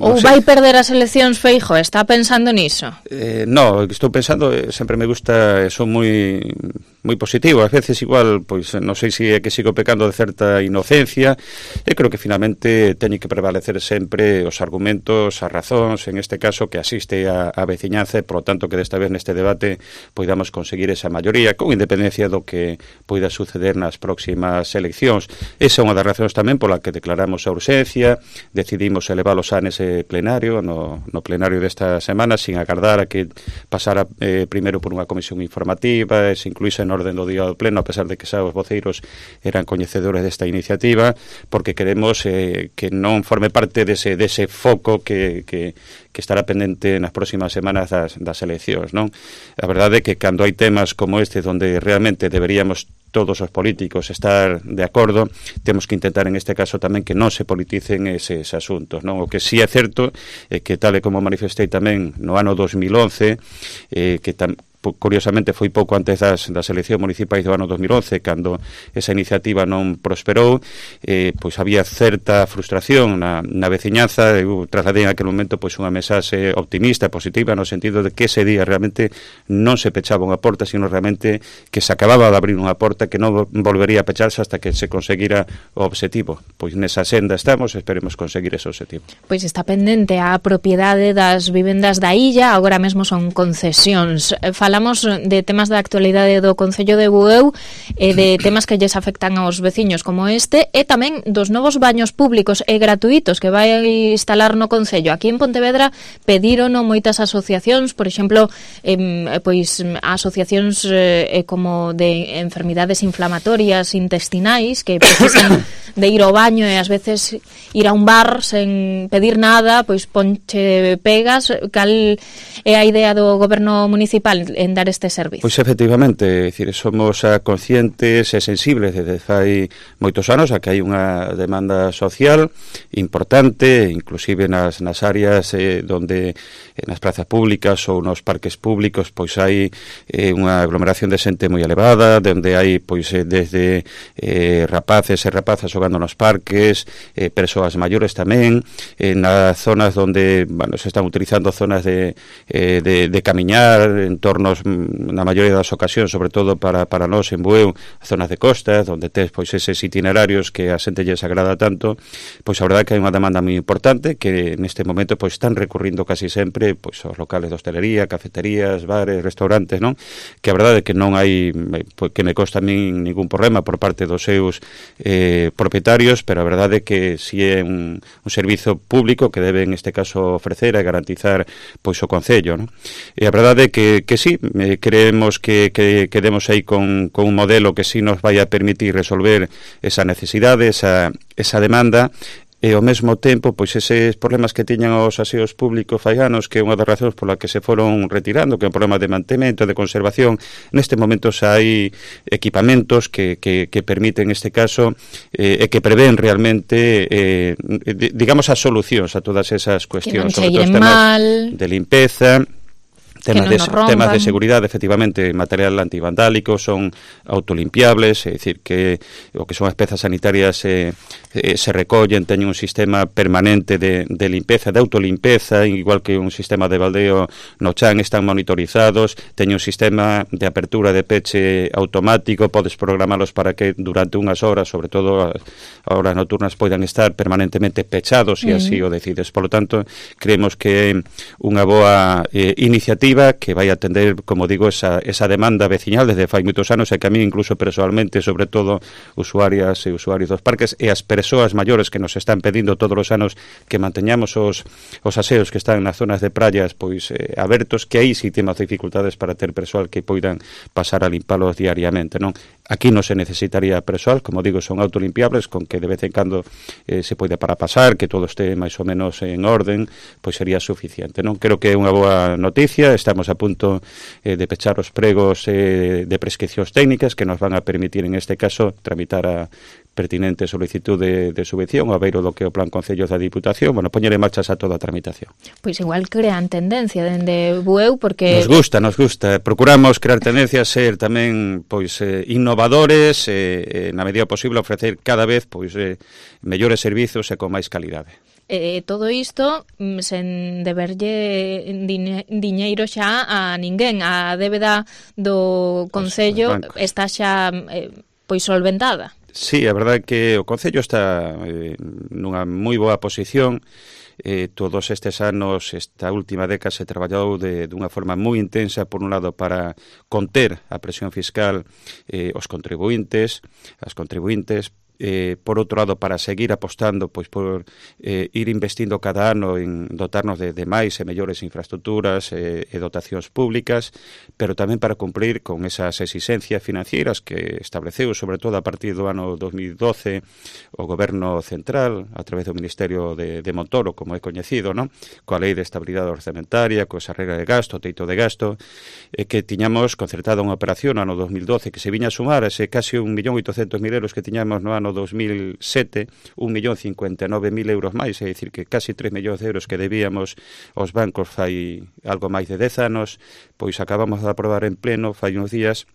Ou vai perder as eleccións Feijóo? Está pensando niso? No, estou pensando, sempre me gusta, son moi positivo, ás veces igual, pois non sei se é que sigo pecando de certa inocencia, e creo que finalmente teñen que prevalecer sempre os argumentos, as razóns, en este caso que asiste a veciñanza, e por lo tanto que desta vez neste debate poidamos conseguir esa maioría, con independencia do que poida suceder nas próximas eleccións. Esa é unha das razóns tamén pola que declaramos a urxencia, decidimos elevalo xa nese plenario, no plenario desta semana, sin agardar a que pasara primeiro por unha comisión informativa, e se incluíse en orden do día do pleno, a pesar de que xa os voceiros eran coñecedores desta iniciativa, porque queremos que non forme parte dese foco que estará pendente nas próximas semanas das eleccións, non? A verdade é que cando hai temas como este, onde realmente deberíamos todos os políticos estar de acordo, temos que intentar en este caso tamén que non se politicen eses asuntos, non? O que sí é certo é que, tal e como manifestei tamén no ano 2011, que curiosamente foi pouco antes das eleccións municipais do ano 2011, cando esa iniciativa non prosperou, pois había certa frustración na veciñanza. Eu trasladei en aquel momento pois unha mensaxe optimista, positiva, no sentido de que ese día realmente non se pechaba unha porta, sino realmente que se acababa de abrir unha porta que non volvería a pecharse hasta que se conseguira o obxectivo. Pois nesa senda estamos, esperemos conseguir ese obxectivo. Pois está pendente a propiedade das vivendas da illa, agora mesmo son concesións. Fala falamos de temas da actualidade do Concello de Bueu e de temas que lles afectan aos veciños como este, e tamén dos novos baños públicos e gratuitos que vai instalar no Concello. Aquí en Pontevedra pedírono moitas asociacións, por exemplo, pois asociacións como de enfermidades inflamatorias intestinais que precisan de ir ao baño e ás veces ir a un bar sen pedir nada, pois ponche pegas. Cal é a idea do goberno municipal en dar este servizo? Pois efectivamente, é dicir, somos conscientes e sensibles desde fai moitos anos a que hai unha demanda social importante, inclusive nas áreas donde nas plazas públicas ou nos parques públicos pois hai unha aglomeración de xente moi elevada, onde hai pois desde rapaces e rapazas xogando nos parques, persoas maiores tamén, nas zonas onde se están utilizando zonas de camiñar, entornos na maioría das ocasións, sobre todo para nós en Bueu, zonas de costas, onde tes pois eses itinerarios que a xente lles agrada tanto, pois a verdade que hai unha demanda moi importante que neste momento pois están recurrindo casi sempre pois aos locales de hostelería, cafeterías, bares, restaurantes, non? Que a verdade que non hai, que me consta a min ningún problema por parte dos seus propietarios, pero a verdade que si é un servizo público que debe en este caso ofrecer e garantizar pois o Concello, non? E a verdade que sí, creemos que demos aí con un modelo que sí nos vai a permitir resolver esa necesidade, esa demanda, e ao mesmo tempo, pois eses problemas que tiñan os aseos públicos fai anos, que é unha das razóns pola que se foron retirando, que é un problema de mantemento, de conservación, neste momento xa hai equipamentos que permiten, neste caso, e que prevén realmente, digamos, as solucións a todas esas cuestións, sobre todo os temas de limpeza, temas de seguridade, efectivamente, material antivandálico, son autolimpiables, é dicir, que o que son as pezas sanitarias se recollen, teñen un sistema permanente de limpeza, de autolimpeza, igual que un sistema de baldeo no chan, están monitorizados, teñen un sistema de apertura de peche automático, podes programalos para que durante unhas horas, sobre todo as horas nocturnas, poidan estar permanentemente pechados, e así o decides. Por lo tanto, creemos que é unha boa iniciativa que vai atender, como digo, esa demanda veciñal desde fai moitos anos, e que a mí incluso personalmente, sobre todo usuarias e usuarios dos parques e as persoas maiores que nos están pedindo todos os anos que manteñamos os aseos que están nas zonas de praias pois abertos, que aí si temos dificultades para ter persoal que poidan pasar a limpalos diariamente, non? Aquí non se necesitaría persoal, como digo, son autolimpiables, con que de vez en cando se pode para pasar, que todo este máis ou menos en orden, pois sería suficiente, non? Creo que é unha boa noticia. Estamos a punto de pechar os pregos de prescripcións técnicas que nos van a permitir, en este caso, tramitar a pertinente solicitud de subvención a beiro do que o Plan Concellos da Diputación, bueno, poñer en marcha a toda a tramitación. Pois igual crean tendencia dende Bueu, porque... Nos gusta. Procuramos crear tendencias, ser tamén pois innovadores, na medida posible ofrecer cada vez pois mellores servizos e con máis calidade. Todo isto sen deberlle diñeiro xa a ninguén. A débeda do Concello está xa pois solventada. Sí, a verdade é que o Concello está nunha moi boa posición. Todos estes anos, esta última década, se traballou dunha forma moi intensa, por un lado, para conter a presión fiscal os contribuintes, as contribuintes, por outro lado, para seguir apostando pois por ir investindo cada ano en dotarnos de máis e mellores infraestructuras e dotacións públicas, pero tamén para cumprir con esas exixencias financieras que estableceu, sobre todo a partir do ano 2012, o Goberno Central, a través do Ministerio de Montoro, como é coñecido, non? Coa Lei de Estabilidade Orzamentaria, coa esa regla de gasto, teito de gasto, que tiñamos concertada unha operación no ano 2012 que se viña a sumar a ese casi 1.800.000 euros que tiñamos no ano 2007, 1.059.000 euros máis, é dicir, que casi 3 millóns de euros que debíamos aos bancos fai algo máis de 10 anos, pois acabamos de aprobar en pleno, fai uns días,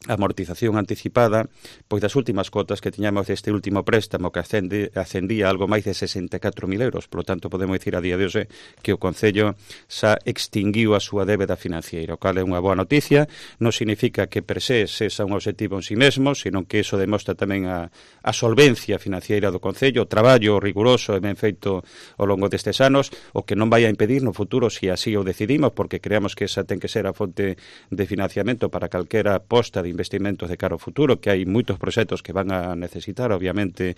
amortización anticipada pois das últimas cotas que tiñamos deste último préstamo que ascendía a algo máis de 64.000 euros. Por lo tanto, podemos dicir a día de hoxe que o Concello xa extinguiu a súa débeda financiera, o cal é unha boa noticia. Non significa que per se sexa un objetivo en si mesmo, sino que iso demostra tamén a solvencia financiera do Concello, o traballo riguroso e ben feito ao longo destes anos, o que non vai a impedir no futuro, se así o decidimos, porque creamos que esa ten que ser a fonte de financiamento para calquera aposta de investimentos de cara ao futuro, que hai moitos proxectos que van a necesitar, obviamente,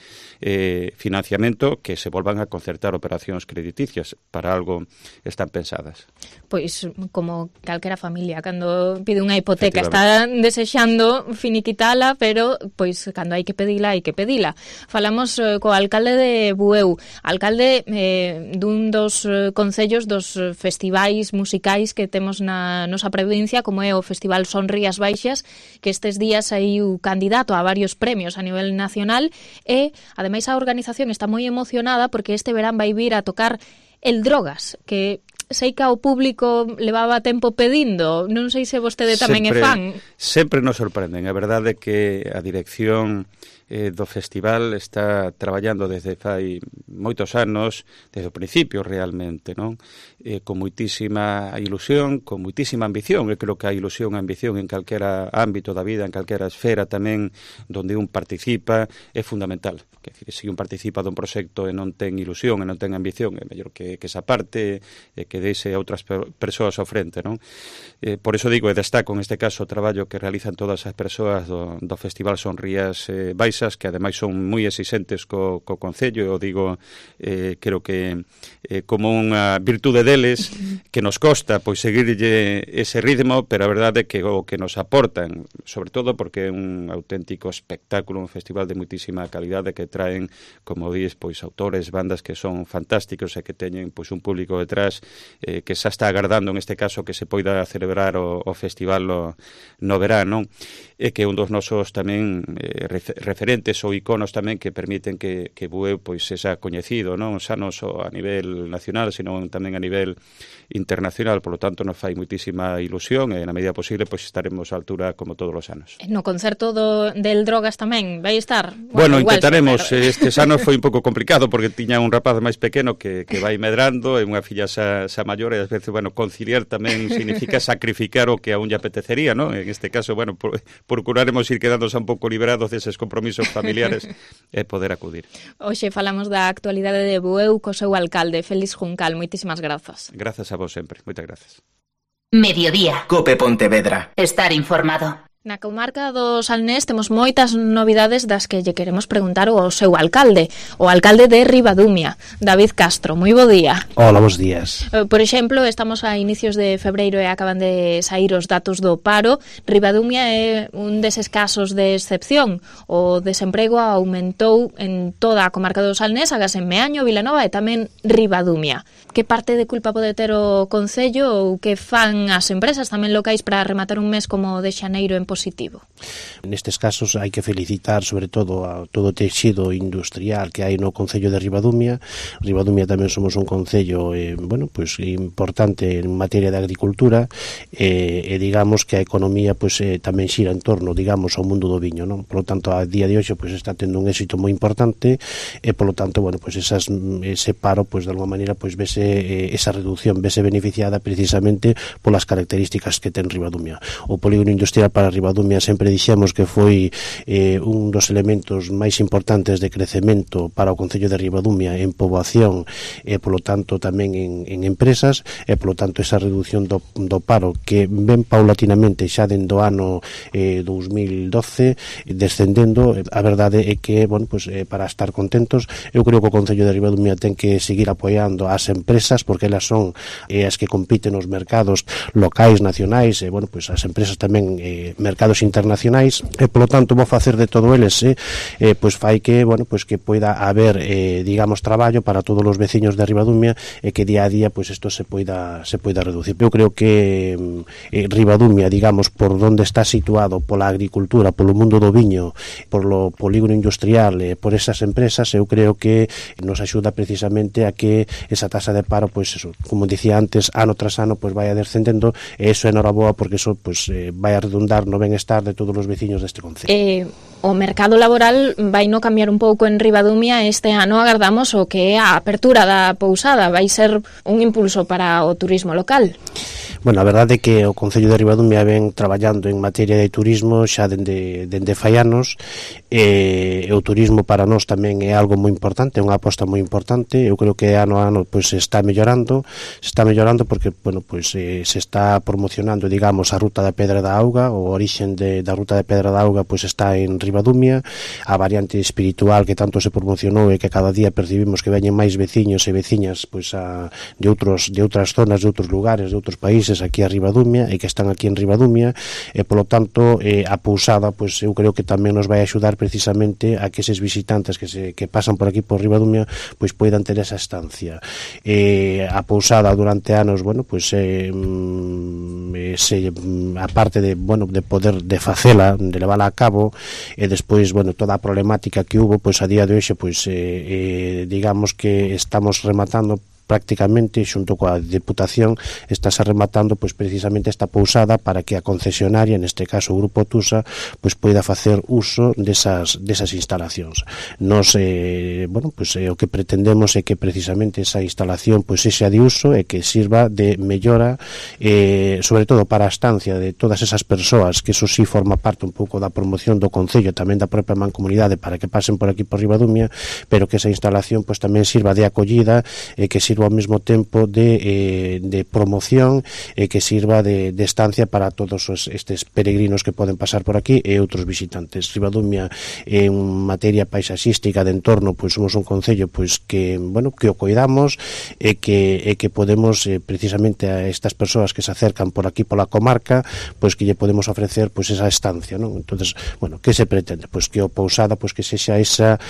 financiamento, que se volvan a concertar operacións crediticias, para algo están pensadas. Pois, como calquera familia, cando pide unha hipoteca, está desexando finiquitala, pero, pois, cando hai que pedila, hai que pedila. Falamos co alcalde de Bueu, alcalde dun dos concellos dos festivais musicais que temos na nosa provincia, como é o Festival Son Rías Baixas, que estes días hai un candidato a varios premios a nivel nacional e, ademais, a organización está moi emocionada porque este verán vai vir a tocar El Drogas, que sei que ao público levaba tempo pedindo, non sei se vostede tamén é fan. Sempre nos sorprenden, a verdade é que a dirección do festival está traballando desde fai moitos anos, desde o principio realmente, non? Con moitísima ilusión, con moitísima ambición. Eu creo que a ilusión e a ambición en calquera ámbito da vida, en calquera esfera tamén donde un participa, é fundamental. Que decir, se un participa dun proxecto e non ten ilusión e non ten ambición, é mellor que esa parte que deixe a outras persoas ao frente, non? Por iso digo, e destaco en este caso o traballo que realizan todas as persoas do Festival Son Rías Baixas, que ademais son moi exigentes co Concello, eu digo, creo que como unha virtude deles que nos costa pois seguirlle ese ritmo, pero a verdade é que o que nos aportan, sobre todo porque é un auténtico espectáculo, un festival de moitísima calidade que traen, como dis, pois autores, bandas que son fantásticos e que teñen pois un público detrás que xa está agardando en este caso que se poida celebrar o festival no verano, e que un dos nosos tamén referentes ou iconos tamén que permiten que Bueu pois sexa coñecido, non xa non só a nivel nacional, sino tamén a nivel internacional. Por lo tanto, nos fai moitísima ilusión e na medida posible pois estaremos á altura como todos os anos. No concerto del Drogas tamén vai estar? Bueno, intentaremos. Estes anos foi un pouco complicado porque tiña un rapaz máis pequeno que vai medrando e unha filla xa maior e ás veces, bueno, conciliar tamén significa sacrificar o que a un lle apetecería, non? En este caso, bueno, procuraremos ir quedándose un pouco liberados deses compromisos familiares e poder acudir. Hoxe falamos da actualidade de Bueu co seu alcalde, Félix Juncal. Moitísimas grazas. Grazas a vos sempre. Moitas grazas. Mediodía. Cope Pontevedra. Estar informado. Na comarca do Salnés temos moitas novidades das que lle queremos preguntar ao seu alcalde, o alcalde de Ribadumia, David Castro. Moi bo día. Hola, bos días. Por exemplo, estamos a inicios de febreiro e acaban de saír os datos do paro. Ribadumia é un deses casos de excepción. O desemprego aumentou en toda a comarca do Salnés, agás en Meaño, Vilanova e tamén Ribadumia. Que parte de culpa pode ter o Concello ou que fan as empresas tamén locais para rematar un mes como o de xaneiro en positivo? Nestes casos hai que felicitar sobre todo a todo o texido industrial que hai no Concello de Ribadumia. Ribadumia tamén somos un concello pues importante en materia de agricultura e digamos que a economía pues tamén xira en torno, digamos, ao mundo do viño, non? Por lo tanto, a día de hoxe pues está tendo un éxito moi importante e por lo tanto, bueno, pues ese paro pues de alguma maneira pues vese esa reducción vese beneficiada precisamente polas características que ten Ribadumia. O polígono industrial para Ribadumia sempre dixemos que foi un dos elementos máis importantes de crecemento para o Concello de Ribadumia en poboación e polo tanto tamén en empresas e polo tanto esa reducción do paro que ven paulatinamente xa dentro do ano 2012 descendendo. A verdade é que, bueno, pues, para estar contentos, eu creo que o Concello de Ribadumia ten que seguir apoiando as empresas porque elas son as que compiten nos mercados locais, nacionais e, bueno, pues as empresas tamén mercados internacionais e polo tanto vou facer de todo eles pois fai que, bueno, pues que poida haber digamos traballo para todos os veciños de Ribadumia e que día a día pues isto se poida reducir. Eu creo que Ribadumia, digamos, por onde está situado pola agricultura, polo mundo do viño, polo polígono industrial, por esas empresas, eu creo que nos axuda precisamente a que esa tasa de paro, pues eso, como dicía antes, ano tras ano, pues vaya descendendo e eso é noraboa porque eso pues vai a redundar no no benestar de todos os veciños deste concello. O mercado laboral vai no cambiar un pouco en Ribadumia este ano, agardamos o que é a apertura da pousada, vai ser un impulso para o turismo local. Bueno, a verdade é que o Concello de Ribadumia ven traballando en materia de turismo xa dende fai anos, e o turismo para nós tamén é algo moi importante, é unha aposta moi importante. Eu creo que ano a ano pois se está mellorando porque bueno, pois se está promocionando, digamos, a ruta da Pedra da Auga, o orixen da ruta da Pedra da Auga pois está en Ribadumia, a variante espiritual que tanto se promocionou e que cada día percibimos que veñen máis veciños e veciñas pois de outras zonas, de outros lugares, de outros países aquí a Ribadumia e que están aquí en Ribadumia, e polo tanto a pousada pois eu creo que tamén nos vai axudar precisamente a que eses visitantes que pasan por aquí por Ribadumia pois poidan ter esa estancia. A pousada durante anos, bueno, pois aparte de, bueno, de poder de facela, de levala a cabo, e despois, bueno, toda a problemática que hubo, pois a día de hoxe, pois digamos que estamos rematando prácticamente xunto coa Deputación, estáse rematando pois precisamente esta pousada para que a concesionaria, neste caso o Grupo Tusa, pois poida facer uso desas instalacións. Nos bueno, pois o que pretendemos é que precisamente esa instalación pois sexa de uso e que sirva de mellora, sobre todo para a estancia de todas esas persoas, que eso sí forma parte un pouco da promoción do Concello, tamén da propia mancomunidade, para que pasen por aquí por Ribadumia, pero que esa instalación pois tamén sirva de acollida e que sirva ao mesmo tempo de promoción e que sirva de estancia para todos estes peregrinos que poden pasar por aquí e outros visitantes. Ribadumia en materia paisaxística de entorno, pois somos un concello pois que, bueno, que o coidamos e que podemos precisamente a estas persoas que se acercan por aquí pola comarca, pois que lle podemos ofrecer pois esa estancia, non? Entonces, bueno, que se pretende? Pois que o pousada pois que sexa esa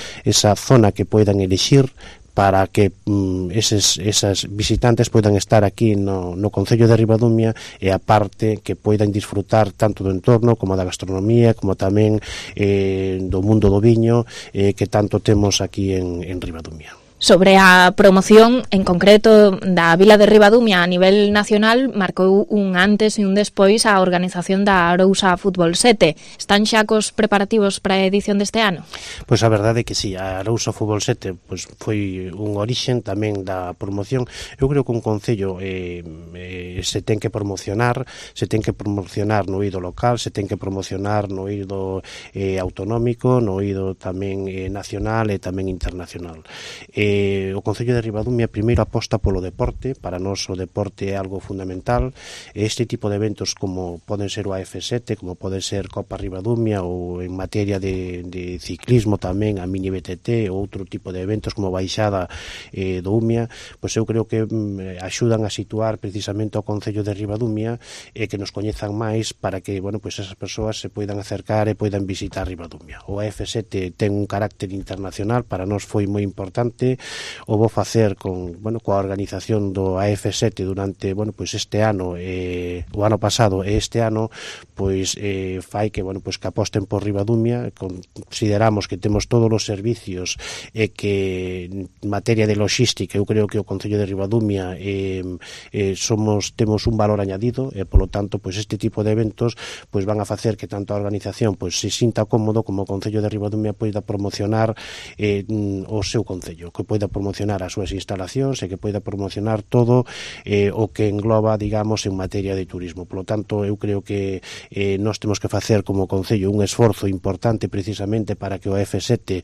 zona que poidan elixir para que esas visitantes poidan estar aquí no Concello de Ribadumia, e a parte que poidan disfrutar tanto do entorno como da gastronomía, como tamén do mundo do viño que tanto temos aquí en Ribadumia. Sobre a promoción, en concreto, da vila de Ribadumia a nivel nacional, marcou un antes e un despois a organización da Arousa Fútbol 7. Están xa cos preparativos para a edición deste ano? Pois a verdade é que sí, a Arousa Fútbol 7 pois foi un orixen tamén da promoción. Eu creo que un concello se ten que promocionar no eido local, se ten que promocionar no eido autonómico, no eido tamén nacional e tamén internacional. O Concello de Ribadumia primeiro aposta polo deporte. Para nós o deporte é algo fundamental. Este tipo de eventos como poden ser o AF7, como pode ser Copa Ribadumia, ou en materia de ciclismo tamén a Mini BTT, ou outro tipo de eventos como Baixada do Umia, pois eu creo que axudan a situar precisamente o Concello de Ribadumia e que nos coñezan máis para que, bueno, pois esas persoas se poidan acercar e poidan visitar Ribadumia. O AF7 ten un carácter internacional, para nós foi moi importante. O vou facer coa organización do AF7 durante, bueno, pois este ano, o ano pasado e este ano, pois fai que, bueno, pois que aposten por Ribadumia. Consideramos que temos todos os servicios e que en materia de logística eu creo que o Concello de Ribadumia temos un valor añadido, e polo tanto pois este tipo de eventos pois van a facer que tanto a organización pois se sinta cómodo como o Concello de Ribadumia poida promocionar o seu concello, que poida promocionar as súas instalacións e que poida promocionar todo o que engloba, digamos, en materia de turismo. Por lo tanto, eu creo que nós temos que facer como concello un esforzo importante precisamente para que o F7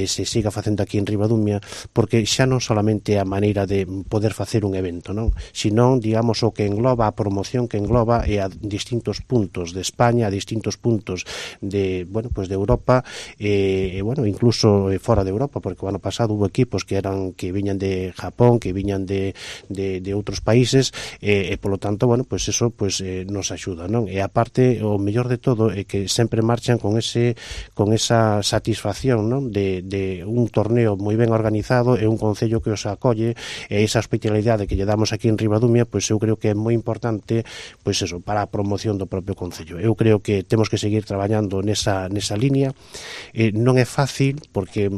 se siga facendo aquí en Ribadumia, porque xa non solamente a maneira de poder facer un evento, non? Sino, digamos, o que engloba a promoción que engloba a distintos puntos de España, a distintos puntos de, bueno, pues de Europa, bueno, incluso fora de Europa, porque o ano pasado hubo equipos que viñan de Japón, que viñan de outros países, e polo tanto, bueno, pues eso pues nos axuda, non? E aparte, o mellor de todo é que sempre marchan con esa satisfacción, non? De un torneo moi ben organizado e un concello que os acolle, e esa hospitalidade que lle damos aquí en Ribadumia, pois eu creo que é moi importante, pois eso, para a promoción do propio concello. Eu creo que temos que seguir traballando nesa línea. Non é fácil, porque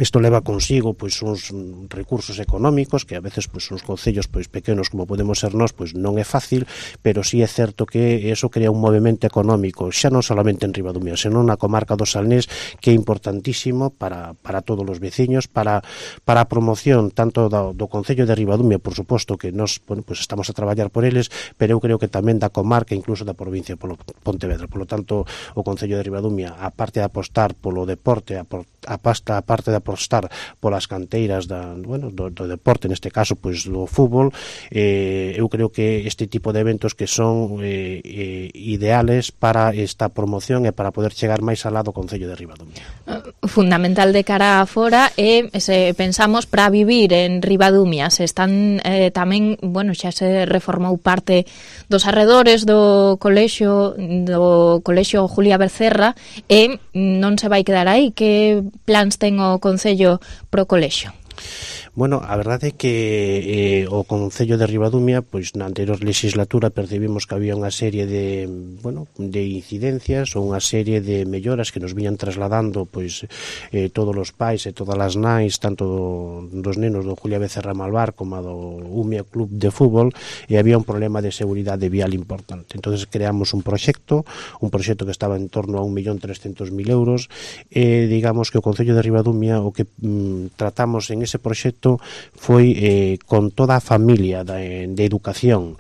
Isto leva consigo pois uns recursos económicos que a veces pois uns concellos pois pequenos como podemos ser nós pois non é fácil, pero sí é certo que eso crea un movimento económico xa non solamente en Ribadumia, senón na comarca do Salnés, que é importantísimo para todos os veciños, para a promoción tanto do concello de Ribadumia, por suposto que nós pois estamos a traballar por eles, pero eu creo que tamén da comarca, incluso da provincia polo Pontevedra. Por lo tanto, o concello de Ribadumia, a parte de apostar polo deporte, a parte de apostar polas canteiras do deporte, neste caso pois do fútbol, eu creo que este tipo de eventos que son ideales para esta promoción e para poder chegar máis alá do concello de Ribadumia. Fundamental de cara a fora e se pensamos para vivir en Ribadumia, se están tamén, xa se reformou parte dos arredores do colexio Julia Becerra e non se vai quedar aí. Que plans ten o Concello pro colexio? Bueno, a verdade é que o Concello de Ribadumia, pois na anterior legislatura percibimos que había unha serie de incidencias ou unha serie de melloras que nos viñan trasladando pois todos os pais e todas as nais, tanto dos nenos do Julia Becerra Malvar como do Umia Club de Fútbol, e había un problema de seguridade vial importante. Entonces creamos un proxecto que estaba en torno a 1.300.000 euros, e digamos que o Concello de Ribadumia o que tratamos en ese proxecto foi con toda a familia de educación,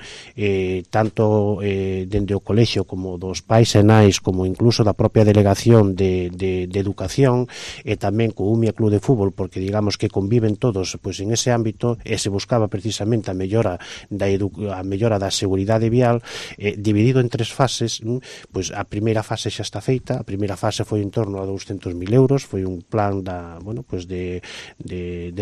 tanto dende o colexio como dos pais e nais, como incluso da propia delegación de educación, e tamén co Umia Club de Fútbol, porque digamos que conviven todos pois en ese ámbito, e se buscaba precisamente a mellora da seguridade vial, dividido en 3 fases. Pois a primeira fase xa está feita. A primeira fase foi en torno a 200.000 euros, foi un plan de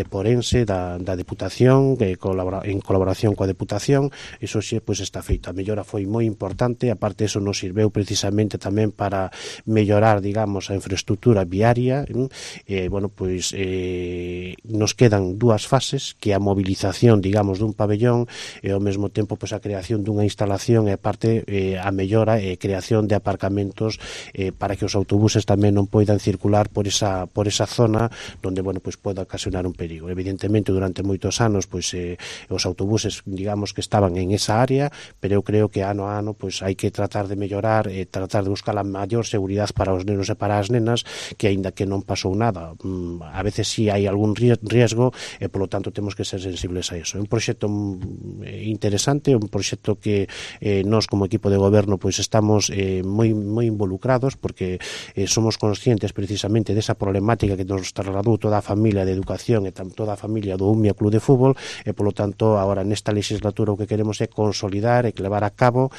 Porense, da Deputación, en colaboración coa Deputación. Iso xe pois está feito. A mellora foi moi importante, aparte eso nos sirveu precisamente tamén para mellorar, digamos, a infraestructura viaria. Nos quedan 2 fases, que é a movilización, digamos, dun pabellón, e ao mesmo tempo pois a creación dunha instalación, e aparte a mellora e creación de aparcamentos para que os autobuses tamén non poidan circular por esa zona onde pois pode ocasionar un perigo. Evidentemente, durante moitos anos pois os autobuses, digamos, que estaban en esa área, pero eu creo que ano a ano pois hai que tratar de mellorar e tratar de buscar a maior seguridade para os nenos e para as nenas, que aínda que non pasou nada, a veces sí hai algún riesgo, e polo tanto temos que ser sensibles a eso. É un proxecto interesante, un proxecto que nós como equipo de goberno pois estamos moi involucrados, porque somos conscientes precisamente desa problemática que nos trasladou toda a familia de educación e toda a familia do Umia Club de Fútbol, e polo tanto agora nesta legislatura o que queremos é consolidar e levar a cabo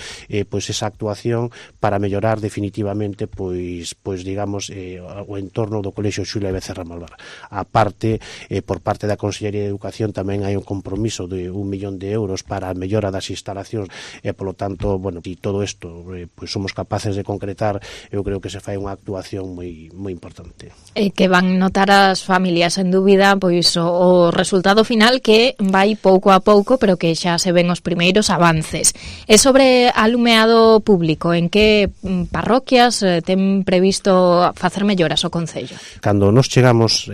pois esa actuación para mellorar definitivamente pois digamos o entorno do colexio Xulia Becerra Malvar. A parte, por parte da Consellería de Educación tamén hai un compromiso de 1 millón de euros para a mellora das instalacións, e polo tanto, e todo isto pois somos capaces de concretar, eu creo que se fai unha actuación moi importante. Que van notar as familias, en dúbida, pois o resultado final, que vai pouco a pouco, pero que xa se ven os primeiros avances. E sobre alumeado público, en que parroquias ten previsto facer melloras o Concello? Cando nos chegamos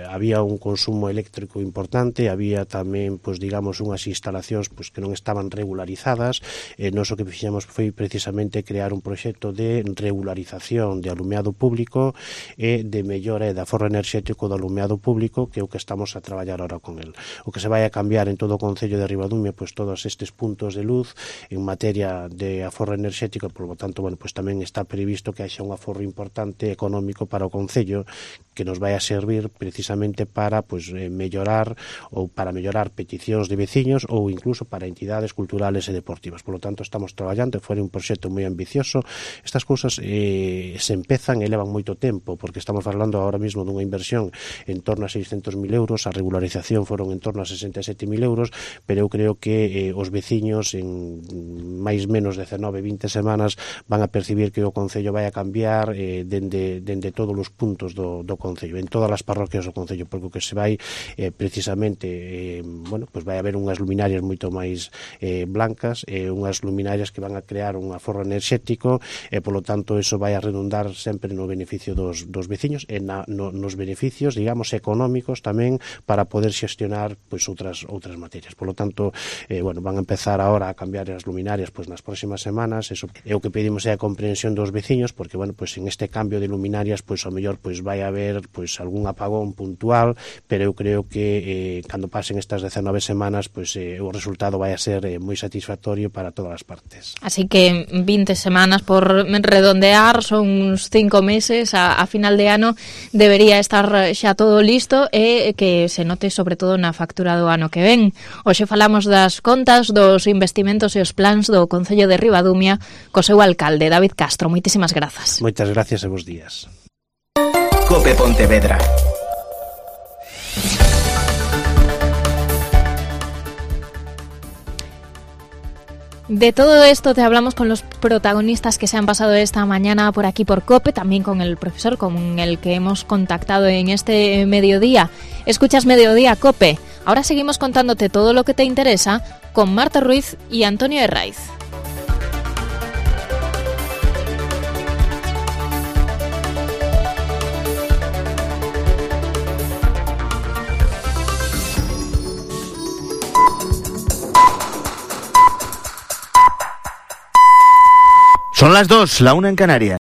había un consumo eléctrico importante, había tamén, digamos, unhas instalacións que non estaban regularizadas. Nos o que fixemos foi precisamente crear un proxecto de regularización de alumeado público e de mellora e de aforro enerxético do alumeado público, que é o que estamos a traballar ahora con el. O que se vai a cambiar en todo o Concello de Ribadumia, todos estes puntos de luz en materia de aforro enerxético, por lo tanto, tamén está previsto que haxa un aforro importante económico para o Concello, que nos vai a servir precisamente para mellorar peticións de veciños ou incluso para entidades culturales e deportivas. Por lo tanto, estamos traballando, foi un proxecto moi ambicioso. Estas cousas se empezan e levan moito tempo, porque estamos falando ahora mesmo dunha inversión en torno a 600.000 euros, euros, a regularización foron en torno a 67.000 euros, pero eu creo que os veciños en máis menos 19-20 semanas van a percibir que o Concello vai a cambiar dende todos os puntos do Concello, en todas as parroquias do Concello, porque o que se vai precisamente, pues vai haber unhas luminarias moito máis blancas, unhas luminarias que van a crear un aforro enerxético, e polo tanto eso vai a redundar sempre no beneficio dos veciños e nos beneficios, digamos, económicos tamén para poder xestionar pois outras materias. Polo tanto, van a empezar agora a cambiar as luminarias pois nas próximas semanas. Eso é o que pedimos, é a comprensión dos veciños, porque pois en este cambio de luminarias pois ao mellor pois vai haber pois algún apagón puntual, pero eu creo que cando pasen estas 19 semanas pois o resultado vai a ser moi satisfactorio para todas as partes. Así que 20 semanas por redondear, son uns 5 meses, a final de ano debería estar xa todo listo e que se note sobre todo na factura do ano que ven. Hoxe falamos das contas, dos investimentos e os plans do Concello de Ribadumia co seu alcalde, David Castro. Moitísimas grazas. Moitas gracias e bos días. Cope Pontevedra. De todo esto te hablamos con los protagonistas que se han pasado esta mañana por aquí por COPE, también con el profesor con el que hemos contactado en este mediodía. Escuchas Mediodía COPE. Ahora seguimos contándote todo lo que te interesa con Marta Ruiz y Antonio Herraiz. Son las 2, la 1 en Canarias.